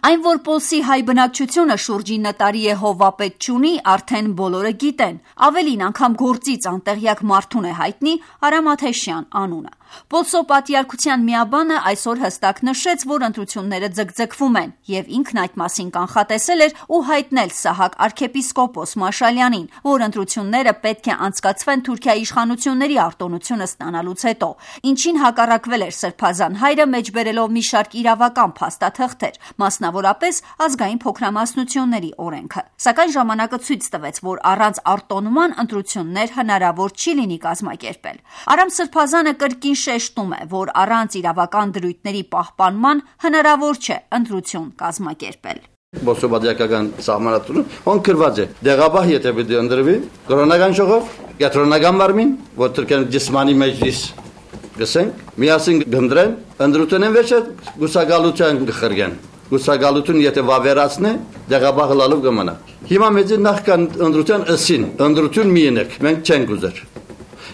Այն, որ Պոլսի հայ բնակչությունը շուրջի նտարի է հովապետ չունի, արդեն բոլորը գիտեն, ավելին անգամ գործից անտեղյակ մարդուն է հայտնի Արամ Աթեշյան անունը։ Պոլսո պատիարքության միաբանը այսօր հստակ նշեց, որ ընտրությունները ձգձգվում են, եւ ինքն այդ մասին կանխատեսել էր ու հայտնել Սահակ arczepiskopos Մաշալյանին, որ ընտրությունները պետք է անցկացվեն Թուրքիայի իշխանությունների արտոնությունը ստանալուց հետո, ինչին հակառակվել էր Սրբազան հայրը մեջբերելով մի շարք իրավական փաստաթղթեր, մասնավորապես ազգային փոքրամասնությունների օրենքը։ Սակայն ժամանակը ցույց տվեց, որ առանց արտոնման ընտրություններ հնարավոր չի լինի կազմակերպել։ Արամ Սրբազանը կրկին շեշտում է, որ առանց իրավական դրույթների պահպանման հնարավոր չէ ընտրություն կազմակերպել։ Բոսոբադիակական սահմանադրություն ոնքրված է դեղաբահ եթե պիտի ընդրվի կրոնական ժողով, կենտրոնական մարմին, որ Թուրքիան ջիսմանի մեջլիս գսենք, միասին գնդրեն, ընդրությունն վերջը գուսակալության գխրգեն։ Գուսակալություն եթե վավերացնե, դեղաբահ լալով կմնա։ Հիմա մեծ նախքան ընդրության ըսին, ընդրություն մի ենեք, մենք չենք ուզեր։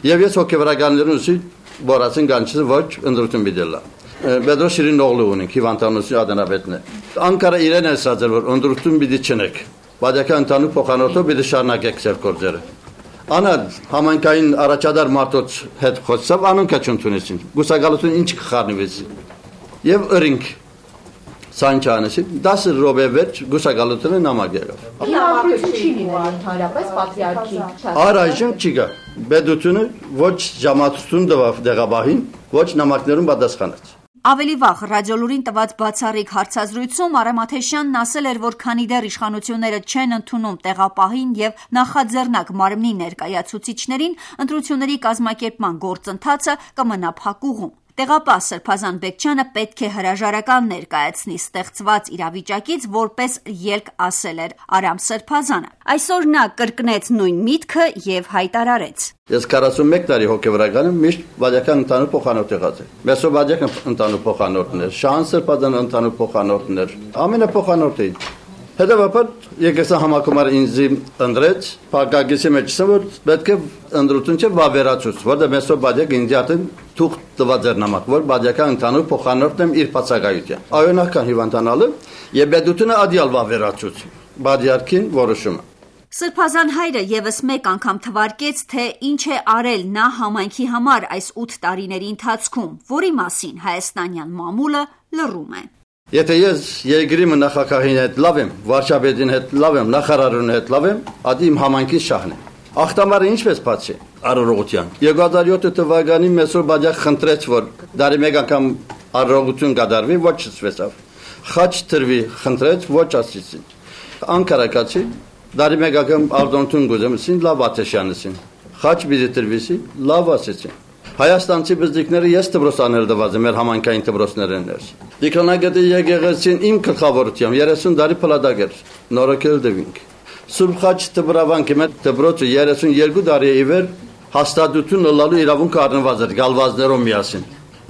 Եվ ես հոգեվարականներուն ուզի Բորացին գանչը ոչ ընդրություն բիդելա։ Պետրոս Շիրինօղլու ունենք հիվանդանոցի ադենապետն է։ Անկարա իրեն է ասացել որ ընդրություն բիդի չնեք։ Բادیական ընդանուր փոխանորդով բիդի շարունակեք ձեր գործերը։ Անա համանքային առաջադար մարդոց հետ խոսավ անոնք չընդունեցին։ Գուսակալություն ինչ կխառնվեց։ Եվ ըրինք Սանչանեսի 10 րոպե վերջ գուսակալությունը նամակ եղավ։ Հիմա չի լինելու ընդհանրապես պատրիարքի չափ։ Առայժմ չի գա։ Պետությունը ոչ ժամացություն տվավ դեղաբահին, ոչ նամակներուն պատասխանեց։ Ավելի վաղ ռադիոլուրին տված բացառիկ հարցազրույցում Արամ Աթեշյանն ասել էր, որ քանի դեռ իշխանությունները չեն ընդունում տեղապահին եւ նախաձեռնակ մարմնի ներկայացուցիչներին, ընտրությունների կազմակերպման գործընթացը կմնա փակուղում։ Տեղապահ Սրբազան Բեկչյանը պետք է հրաժարական ներկայացնի ստեղծված իրավիճակից, որպես ելք ասել էր Արամ Սրբազանը։ Այսօր նա կրկնեց նույն միտքը եւ հայտարարեց. Ես 41 տարի հոգեվարական եմ, միշտ բادیական ընդանուր փոխանորդ եղած եմ։ Մեսոբադիական ընդանուր փոխանորդն էր, Շահան Սրբազան ընդանուր փոխանորդն էր, ամենափոխանորդը էին։ Հետևաբար եկեսա համակոմարը ինձ ընդրեց, փակագիսի մեջը որ պետք է ընդրություն չէ վավերացուց, որտեղ մեսոբադիակ ինձ յատեն թուղթ տված էր նամակ, որ բادیական ընդանուր փոխանորդն եմ իր բացակայության։ Այո նախքան հիվանդանալը եւ պետությունը ադիալ վավերացուց, բادیարքին որոշումը։ Սրբազան հայրը եւս մեկ անգամ թվարկեց, թե ինչ է արել նա համայնքի համար այս 8 տարիների ընթացքում, որի մասին հայաստանյան մամուլը լռում է։ Եթե ես երկրի նախագահին հետ լավ եմ, վարչապետին հետ լավ եմ, նախարարին հետ լավ եմ, ադի իմ համայնքի շահն է։ Ախտամարը ինչպես բացի առողջության։ 2007 թվականին Մեսոբադիակ խնդրեց, որ դարի մեկ անգամ առողջություն կատարվի, ոչ չսվեցավ։ Խաչ տրվի խնդրեց, ոչ ասեցին։ Անկարակացի դարի մեկ անգամ արտոնություն գուզեմսին լավ Աթեշյանսին։ Խաչ բիզի տրվիսի լավ ասեցին։ Հայաստանցի բզդիկները ես դպրոցաներ դված եմ, մեր համայնքային դպրոցներն էր։ Դիքոնագետի եկեղեցին իմ գլխավորությամբ 30 տարի փլադակ էր, նորոգել դվինք։ Սուրբ Խաչ դպրավանքի մեր դպրոցը 32 տարի ի վեր հաստատություն լալու իրավունք առնված էր գալվազներով միասին։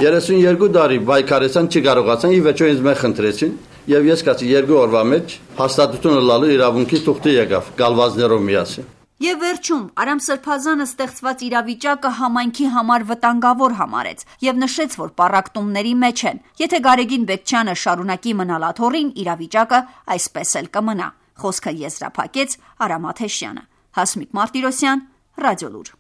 32 տարի բայկարեցան չկարողացան, ի վերջո ինձ մեզ խնդրեցին, եւ ես կասի 2 օրվա մեջ հաստատություն լալու իրավունքի թուղթը եկավ գալվազներով միասին։ Եվ վերջում Արամ Սրբազանը ստեղծված իրավիճակը համայնքի համար վտանգավոր համարեց եւ նշեց, որ պառակտումների մեջ են։ Եթե Գարեգին Բեկչյանը շարունակի մնալ աթոռին, իրավիճակը այսպես էլ կմնա։ Խոսքը եզրափակեց Արամ Աթեշյանը։ Հասմիկ Մարտիրոսյան, Ռադիոլուր։